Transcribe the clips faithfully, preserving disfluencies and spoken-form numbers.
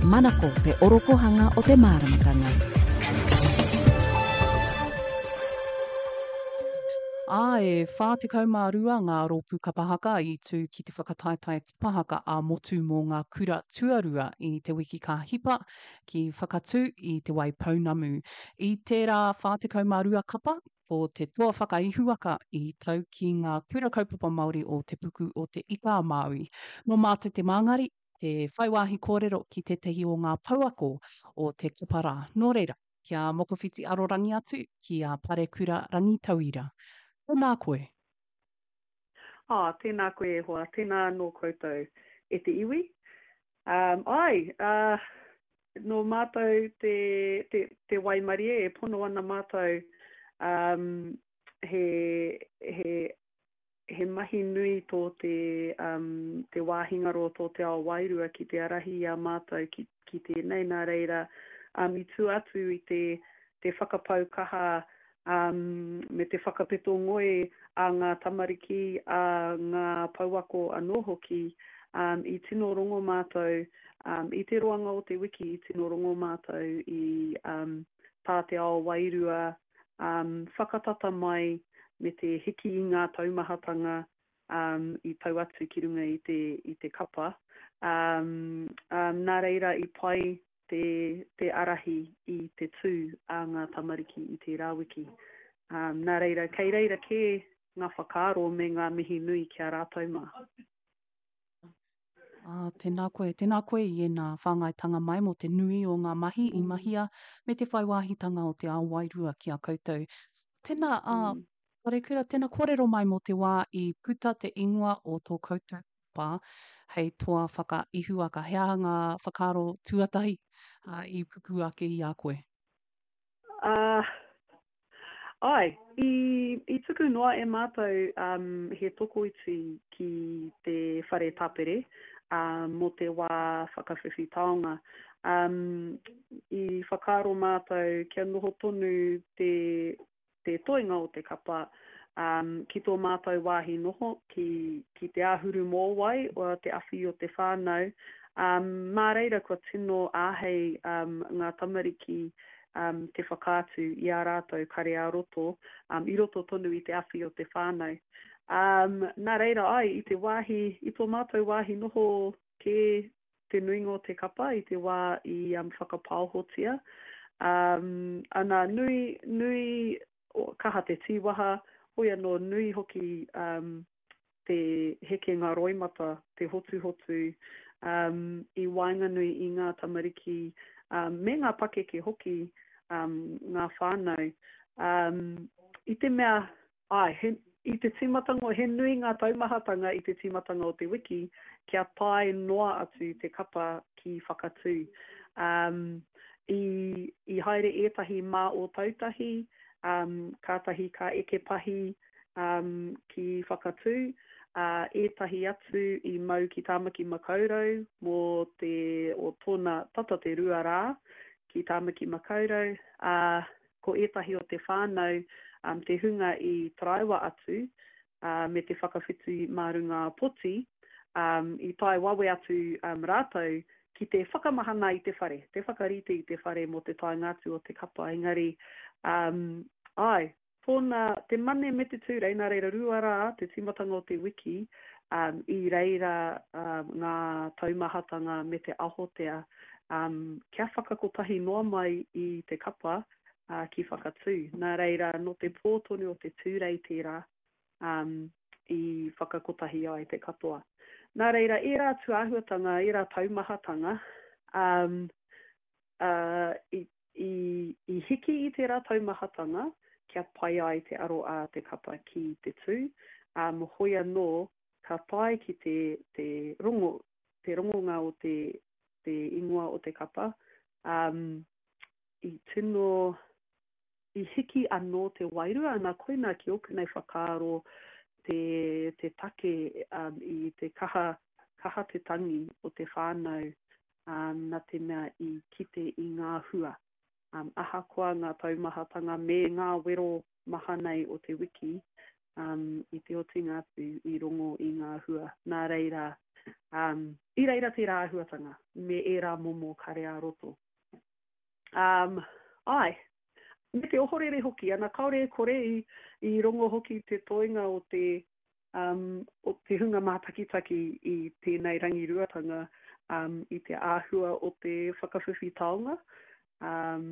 Manako te orokohanga o te māramatanga. Ā, e whā tekau mā rua ngā rōpū kapa haka i tū ki te whakataetae kapa haka ā-motu mō ngā kura tuarua i te wiki ka hipa ki Whakatū i Te Waipounamu. I tērā whā tekau mā rua kapa, ko te toa whakaihuwaka i tau ki ngā kura kaupapa Māori o Te Puku o Te Ika-a-Māui. Nō mātou te māngari, te whai wāhi kōrero ki tētahi o ngā pouako o te kapa rā. Nō reira, kia mokowhiti arorangi atu ki a Parekura Rangitauira. Tēnā koe. Ā, tēnā koe e hoa, tēnā anō koutou e te iwi. Um, ai, uh, nō mātou te, te, te waimarie e pono ana mātou um, he, he he mahi nui tō te, um, te wāhi ngaro tō te ao wairua ki te ārahi i a mātou ki, ki tēnei, nā reira, um, i tua atu i te, te whakapau kaha um, me te whakapeto ngoi a ngā tamariki, a ngā pouako anō hoki, um, i tino rongo mātou, um, i te roanga o te wiki i tino rongo mātou i um, tā te ao wairua um, whakatata mai me te hiki i ngā taumahatanga um, i tau atu ki runga i te, i te kapa. Um, um, nā reira i pai te, te ārahi i te tū a ngā tamariki i tērā wiki. Um, nā reira, kei reira kē ngā whakaaro me ngā mihi nui ki a rātou mā. Ā, tēnā koe, tēnā koe i ēnā whāngaitanga mai mō te nui o ngā mahi i mahia me te whai wāhitanga o te ao wairua ki a koutou. Tēnā, ā, mm. Parekura, tēnā kōrero mai mō te wā i puta te ingoa o tō koutou pā hei toa whakaihuwaka. He aha ngā whakaaro tuatahi ā, i pupū ake i a koe? Ā, Āe, i, i tuku noa e mātou um, he tokoiti ki te whare tapere um, mō te wā whakawhiwhi taonga. Um, i whakaaro mātou kia noho tonu te, te toenga o te kapa um, ki tō mātou wāhi noho, ki, ki te āhuru mōwai, o te awhi o te whānau. Um, mā reira kua tino āhei um, ngā tamariki um, te whakaatu i ā rātou kare ā-roto, um, i roto tonu i te awhi o te whānau. Um, nā reira ai, i te wāhi, i tō mātou wāhi noho kē te nuinga o te kapa i te wā i um, whakapaohotia. Um, ana, nui, nui, kaha te tīwaha, hoi anō nui hoki um, te hekenga roimata, te hotuhotu um, i waenganui i ngā tamariki um, me ngā pakeke hoki, um, ngā whānau. Um, I te mea, ai, he, i te tīmatanga, he nui ngā taumahatanga i te tīmatanga o te wiki kia tae noa atu te kapa ki Whakatū. Um, i, i haere ētahi mā Ōtautahi, um, kātahi ka eke pahi um, ki Whakatū, ā, ētahi atu i mau ki Tāmaki Makaurau mō te, o tōna tata te rua rā ki Tāmaki Makaurau, ā, ko ētahi o te whānau, um, te hunga i taraiwa atu, ā, me te whakawhiti mā runga poti, um, i tae wawe atu um, rātou ki te whakamahana i te whare, te whakarite i te whare mō te taenga atu o te kapa, engari, um, āe, Tōna, te Mane me te Tūrei, nā reira rua rā te tīmatanga o te wiki, um, i reira um, ngā taumahatanga me te ahotea um, kia whakakotahi noa mai i te kapa uh, ki Whakatū. Nā reira, nō te pō tonu o te Tūrei tērā um, i whakakotahi ai te katoa. Nā reira, ērā tūāhuatanga, ērā taumahatanga, um, uh, i, i, i hiki i tērā taumahatanga kia pai ai te aro a te kapa ki te tū, um, hoi anō ka tae ki te, te, rongo, te rongonga o te, te ingoa o te kapa, um, i tino, i hiki anō te wairua, ana koina ki ōku nei whakaaro te, te take um, i te kaha, kaha te tangi o te whānau um, nā te mea i kite i ngā hua. Um, ahakoa ngā taumahatanga me ngā wero maha nei o te wiki, um, i te otinga atu i rongo i ngā hua. Nā reira, Um, i reira tērā āhuatanga me ērā momo kare ā-roto. Um, āe, me te ohorere hoki, ana kāore e kore i, i rongo hoki te toenga o te, um, o te hunga mātakitaki i tēnei rangiruatanga um, i te āhua o te whakawhiwhi taonga, um,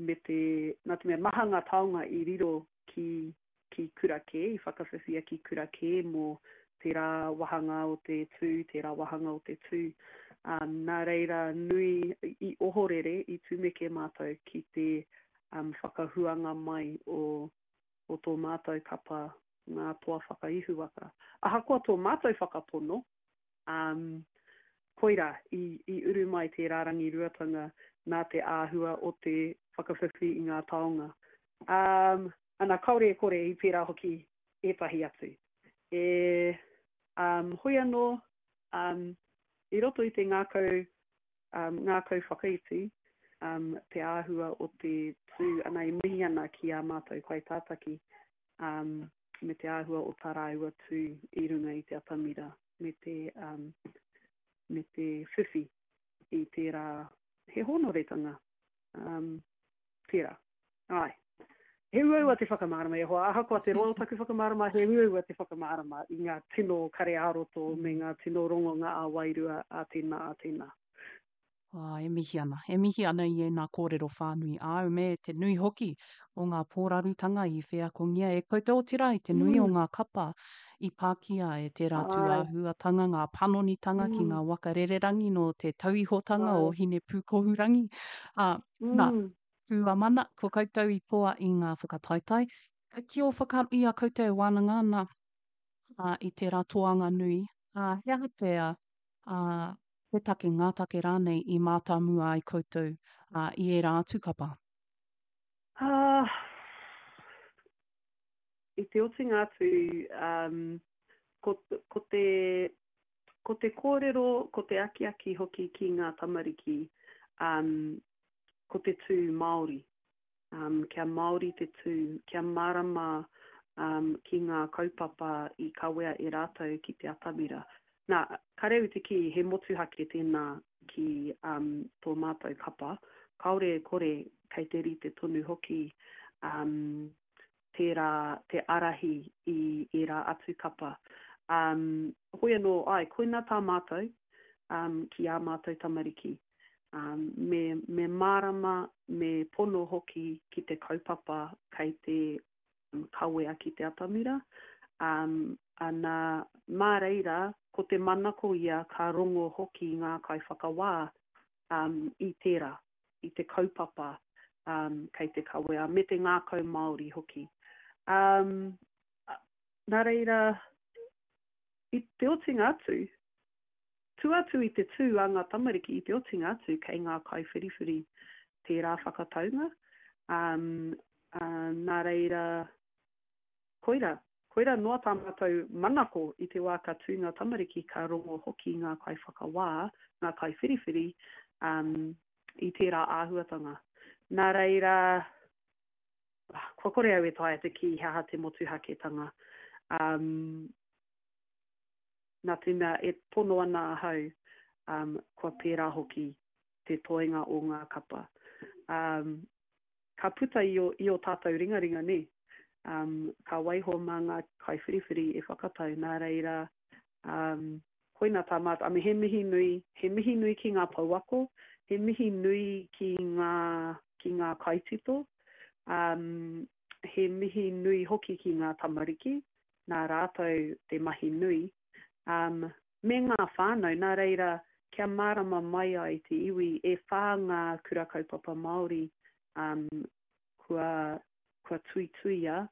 me te, nā te mea maha ngā taonga i riro ki, ki kura kē, i whakawhiwhia ki kura kē mō tērā wāhanga o te tū, tērā wāhanga o te tū. Um, nā reira nui i ohorere, i tumeke mātou ki te um, whakahuanga mai o, o tō mātou kapa ngā toa whakaihuwaka. Ahakoa tō mātou whakapono, um, koirā i, i uru mai tērā rangiruatanga nā te āhua o te whakawhiwhi i ngā taonga. Um, ana, kāore e kore i pērā hoki ētahi atu. E, um, hoi anō, um, i roto i te ngākau, um, ngākau whakaiti, um, te āhua o te tū, ana e mihi ana ki ā mātou kaitātaki, um, me te āhua o tā rāua tū i runga i te atamira, me te, um, me te whiwhi i tērā, he hōnoretanga, um, tērā. Āe. He uaua te whakamārama e hoa, ahakoa te roa o taku whakamārama, he uaua te whakamārama i ngā tino kare ā-roto me ngā tino rongonga ā-wairua a tēnā, a tēnā. Ā, e mihi ana, e mihi ana i ēnā kōrero whānui āu me te nui hoki o ngā pōrarutanga i wheakongia e koutou, otirā i te nui o ngā kapa i pākia e tērā tūāhuatanga, ngā panonitanga ki ngā waka rererangi nō te tauihotanga o Hinepūkohurangi. Ā, nā, Tū-a-mana, ko koutou i toa i ngā whakataetae. Ki ō whakaaro i a koutou e wānanga ana ā, i tērā toanga nui, ā, he aha pea, ā, te take, ngā take rānei i mātāmua ai koutou, ā, i ērā atu kapa? Ā, i te otinga atu, ā, ko, ko te, ko te kōrero, ko te akiaki hoki ki ngā tamariki, ā, ko te tū Māori. Um, kia Māori te tū, kia mārama um, ki ngā kaupapa i kawea e rātou ki te atamira. Nā, kareu te kī, he motuhake tēnā ki um, tō mātou kapa. Kāore e kore, kei te rite tonu hoki um, tērā te ārahi i ērā atu kapa. Um, hoi anō, ai, koina tā mātou um, ki ā mātou tamariki. Um, me, me mārama, me pono hoki ki te kaupapa kei te um, kawea ki te atamira. Um, ana, mā reira, ko te manako ia ka rongo hoki ngā kaiwhakawā um, i tērā, i te kaupapa um, kei te kawea, me te ngākau Māori hoki. Um, nā reira, i te otinga atu, Tua atu i te tū a ngā tamariki i te otinga atu kei ngā kaiwhiriwhiri tērā whakataunga, um, ā, nā reira, koira, koira noa tā mātou manako i te wā ka tū ngā tamariki ka rongo hoki ngā kaiwhakawā, ngā kaiwhiriwhiri, um, i tērā āhuatanga. Nā reira, kua kore au e taea te kī he aha te motuhaketanga. Um, Nā te mea e pono ana ahau, um, kua pērā hoki te toenga o ngā kapa. Um, ka puta i o, i o tātou ringaringa, nē? Um, ka waiho mā ngā kaiwhiriwhiri e whakatau, nā reira, um, koina tā mātou, I mean, he mihi nui, he mihi nui ki ngā pouako, he mihi nui ki ngā, ki ngā kaitito, um, he mihi nui hoki ki ngā tamariki, nā rātou te mahi nui, um, me ngā whānau, nā reira, kia mārama mai ai te iwi, e whā ngā kura kaupapa Māori um, kua, kua tuituia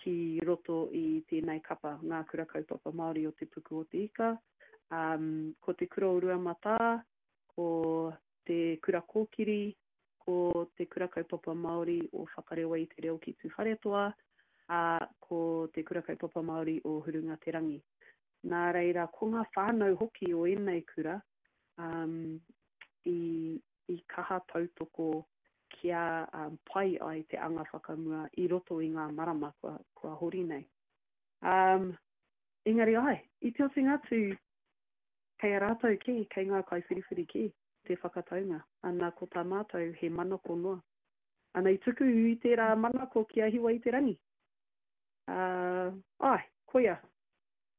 ki roto i tēnei kapa, ngā kura kaupapa Māori o Te Puku o Te Ika, um, ko Te Kura o Ruamatā, ko Te Kura Kōkiri, ko Te Kura Kaupapa Māori o Whakarewa i te Reo ki Tūwharetoa, ā, ko Te Kura Kaupapa Māori o Hurungaterangi. Nā reira, ko ngā whānau hoki o ēnei kura um, i, i kaha tautoko kia um, pai ai te anga whakamua i roto i ngā marama kua, kua hori nei. Um, engari ai, i te otinga atu, Kei a rātou kē, kei ngā kaiwhiriwhiri kē te whakataunga. Ana, ko tā mātou he manako noa. Ana, i tuku i tērā manako ki a Hiwa i te rangi. Uh, ai, koia.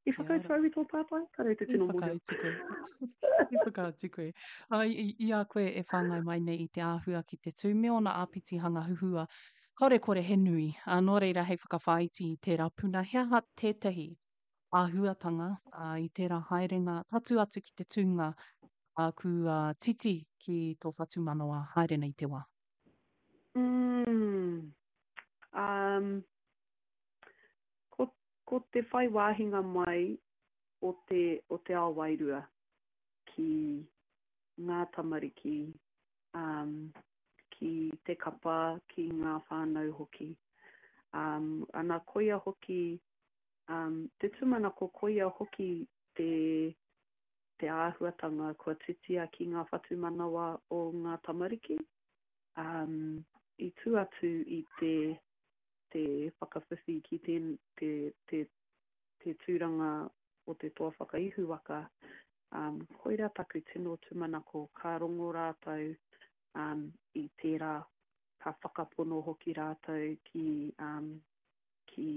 I whakautu au i tō pātai? Kāre te tino mōhio. I whakautu koe. I whakautu koe. Ai, i, i a koe e whāngai mai nei i te āhua ki te tū me ōna āpitihanga huhua, kāore kore he nui. Ā, nō reira hei whakawhāiti i tērā puna, he aha tētahi āhuatanga ā, i tērā haerenga tatū atu ki te tūnga ā, kua titi ki tō whatumanawa haere nei te wā? Mm, um, ko, ko te whai wāhinga mai o te, o te ao wairua ki ngā tamariki, um, ki te kapa, ki ngā whānau hoki. Um, ana koia hoki, um, te tūmanako koia hoki te, te āhuatanga kua titia ki ngā whatumanawa o ngā tamariki. Um, i tū atu i te, te whakawhiwhi ki te, te, te, te tūranga o te toa whakaihuwaka, um, koira taku tino tūmanako ka rongo rātou um, i tērā, ka whakapono hoki rātou ki, um, ki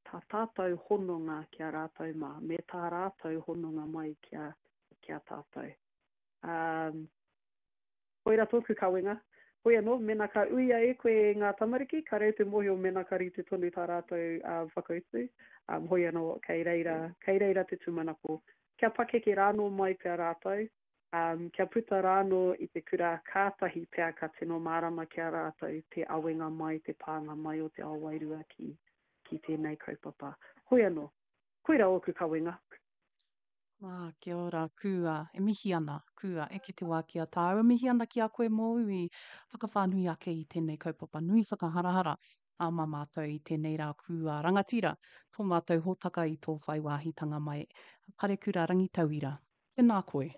tā tātou hononga ki a rātou mā, me tā rātou hononga mai ki a, ki a tātou. Um, koira tōku kawenga. Hoi anō, mēnā ka uia e koe ngā tamariki, ka reo te mōhio mēnā ka rite tonu tā rātou uh, whakautu. Um, hoi anō, kei reira, kei reira te tūmanako. Kia pakeke rānō mai pea rātou, um, kia puta rānō i te kura, kātahi pea ka tino mārama ki a rātou te awenga mai, te pānga mai o te ao wairua ki, ki tēnei kaupapa. Hoi anō, koira ōku kawenga. Ā, kia ora, kua, e mihi ana, kua, eke te wā ki a tāua, e mihi ana ki a koe mōu i whakawhānui ake i tēnei kaupapa nui whakaharahara ā mā mātou i tēnei rā kua rangatira tō mātou hōtaka i tō whai wāhitanga mai. Parekura Rangitauira, tēnā koe.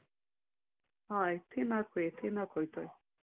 Āe, tēnā koe, tēnā koutou.